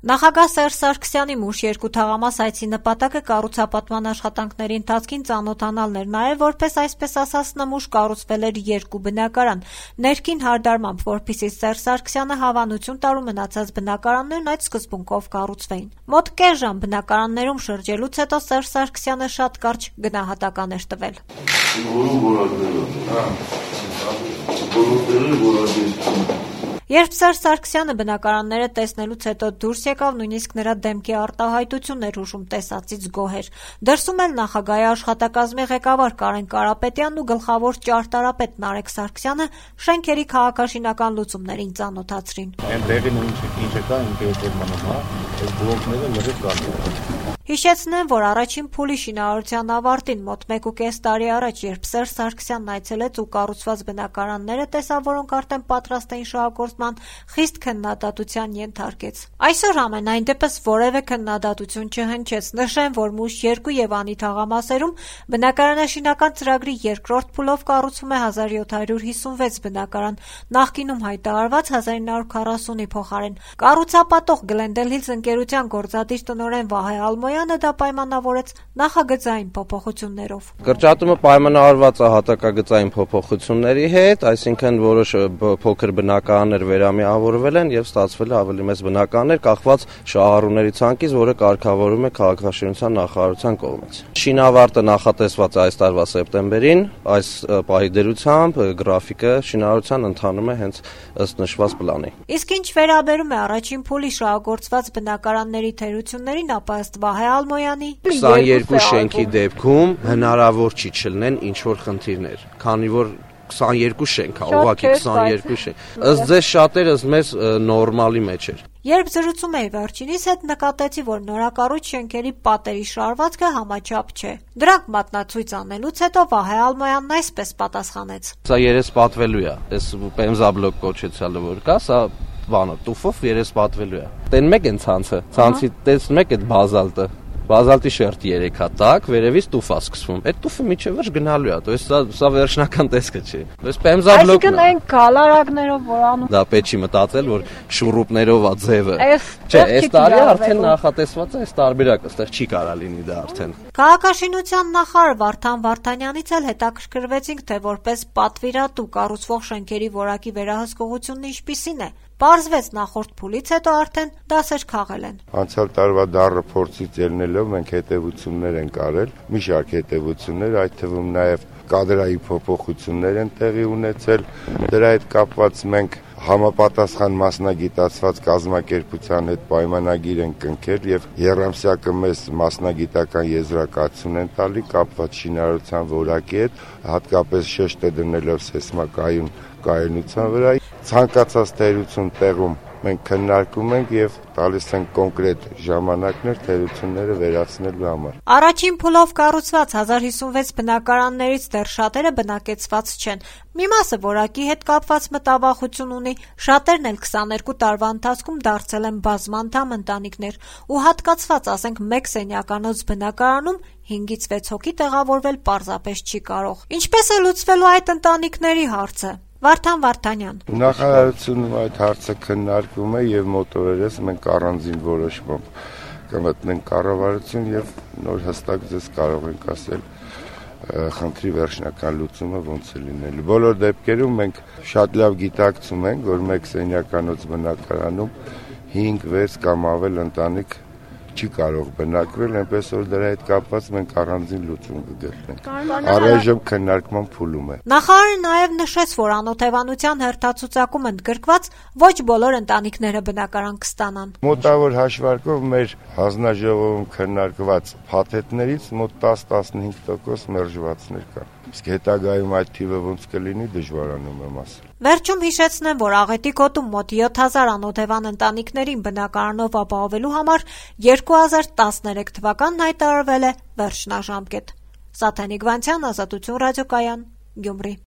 Նախագահ Սերժ Սարգսյանի Մուշ 2 թաղամաս այցի նպատակը կառուցապատման աշխատանքների ընթացքին ծանոթանալն էր, նաև որպես այսպես ասած նմուշ կառուցվել էր 2 բնակարան, ներքին հարդարմամբ, որպեսզի Սերժ Սարգսյանը հավանություն տար ու մնացած բնակարաններն այդ սկզբունքով կառուցվեին։ Մոտ կես ժամ բնակարաններում շրջելուց հետո Սերժ Սարգսյանը շատ կարճ գնահատական էր տվել։ Երբ Սերժ Սարգսյանը բնակարանները տեսնելուց հետո դուրս եկավ, նույնիսկ նրա դեմքի արտահայտությունն էր հուշում տեսածից գոհեր։ Դրսում էլ նախագահի աշխատակազմի ղեկավար Կարեն Կարապետյանն ու գլխավոր ճարտարապետ Նարեկ Սարգսյանը շենքերի քաղաքաշինական լուծումներին ծանոթացրին։ Այնտեղին ինչը կա, ինքեջեր մնում, այս բլոկները լրիվ կան։ Հիշեցնեմ, որ առաջին փուլի շինարարության ավարտին մոտ 1.5 տարի առաջ, երբ Սերժ Սարգսյանն այցելեց ու կառուցված բնակարանները տեսավ, որոնք արդեն պատրաստ էին շահագործման, խիստ քննադատության ենթարկեց։ Այսօր ամենայն դեպս որևէ քննադատություն չհնչեց։ Նշեմ, որ Մուշ 2 եւ Անի թաղամասերում բնակարանաշինական ծրագրի երկրորդ փուլով կառուցվում է 1756 բնակարան, նախկինում հայտարարված 1940-ի փոխարեն։ Կառուցապատող Glendale Hills ընկերության գործադիր տնօրեն Վահե Ալմոյանը դա պայմանավորեց նախագծային փոփոխություններով։ Կրճատումը պայմանավորված է հատակագծային փոփոխությունների հետ, այսինքն որոշ փոքր բնակարաններ վերամիավորվել են եւ ստացվել է ավելի մեծ բնակարաններ, կախված շահառուների ցանկից, որը կարգավորվում է քաղաքաշինության նախարարության կողմից։ Շինավարտը նախատեսված է այս տարվա սեպտեմբերին, այս պահի դերությամբ գրաֆիկը շինարարության ընթանում է հենց ըստ նշված պլանի։ Իսկ ինչ վերաբերում է առաջին փուլի շահագործված բնակարանների թերություններին, ապա ըստ Վահե Ալմոյանի 22 շենքի դեպքում հնարավոր չի չլինեն ինչ-որ խնդիրներ, քանի որ 22 շենք է, ուղղակի 22 շենք։ Ըստ ձեզ շատերս մեզ նորմալի մեջ էր։ Երբ զրուցում էի վերջինիս հետ, նկատեցի, որ նորակառույց շենքերի պատերի շարվածքը համաչափ չէ։ Դրանք մատնացույց անելուց հետո Վահե Ալմոյանն այսպես պատասխանեց. Սա երեսպատվելու է, այս պեմզաբլոկ կոչեցյալը որ կա, սա բանը տուֆով երեսպատվելու է։ Տեն մեկ են ցանցը, ցանցի տեսնում եք այդ բազալտը։ Բազալտի շերտ 3 հա տակ, վերևից տուֆ է սկսվում։ Այդ տուֆը միջև վերջ գնալու է, то есть սա վերջնական տեսքը չի։ То есть պեմզաբլոկն է։ Այսինքն այն գալարակներով որ անում։ Դա պետք չի մտածել, որ շուրուպներով է ձևը։ Չէ, այս տարի արդեն նախատեսված է, այս տարբերակը, այստեղ չի կարա լինի դա արդեն։ Քաղաքաշինության նախարար Վարդան Վարդանյանից էլ հետաքրքրվեցինք, թե որպես պատվիրատու կառուցվող շենքերի որակի վերահսկողությունն ինչպիսին է։ Պարզվեց նախորդ փուլից հետո արդեն դասեր քաղել են։ Անցյալ տարվա դառը փորձից ելնելով մենք հետևություններ ենք արել, մի շարք հետևություններ, այդ թվում նաև կադրայի փոփոխություններ են տեղի ունեցել։ Դրա հետ կապված մենք համապատասխան մասնագիտացված կազմակերպության հետ պայմանագիր են կնքել եւ երամսյակը մեզ մասնագիտական եզրակացություն են տալի կապված շինարարության որակի հետ, հատկապես շեշտը դնելով սեյսմակայուն կայունության վրա։ Ցանկացած թերություն տեղում մենք քննարկում ենք եւ տալիս ենք կոնկրետ ժամանակներ թերությունները վերացնելու համար։ Առաջին փուլով կառուցված 1056 բնակարաններից դեռ շատերը բնակեցված չեն։ Մի մասը որակի հետ կապված մտավախություն ունի, շատերն էլ 22 տարվա ընթացքում դարձել են բազմանդամ ընտանիքներ ու հատկացված, ասենք, 1 սենյականոց բնակարանում 5-ից 6 հոգի տեղավորվել պարզապես չի կարող։ Ինչպես է լուծվելու այդ ընտանիքների հարցը։ Վարդան Վարդանյան։ Նախարարությունում այդ հարցը քննարկվում է եւ մոտորերս մենք առանձին որոշմամբ կմտնենք կառավարություն եւ նոր հստակ ձեզ կարող ենք ասել խնդրի վերջնական լուծումը ոնց է լինելու։ Բոլոր դեպքերում մենք շատ լավ գիտակցում ենք, որ 1 սենյականոց բնակարանում 5-6 կամ ավել ընտանիք չի կարող բնակվել, այնպես որ դրա հետ կապված մենք առանձին լուծում կգտնենք։ Առայժմ քննարկման փուլում է։ Նախարարը նաև նշեց, որ անօթևանության հերթացուցակում ընդգրկված ոչ բոլոր ընտանիքները բնակարան կստանան։ Մոտավոր հաշվարկով մեր հանձնաժողովում քննարկված փաթեթներից մոտ 10-15% մերժվածներ կան։ Իսկ հետագայում այդ թիվը ոնց կլինի դժվարանում եմ ասել։ Վերջում հիշեցնեմ, որ Աղետի գոտում մոտ 7000 անօթևան ընտանիքներին բնակարանով ապահովելու համար 2013 թվականն հայտարարվել է վերջնաժամկետ։ Սաթենիկ Վանցյան, Ազատություն ռադիոկայան, Գյումրի։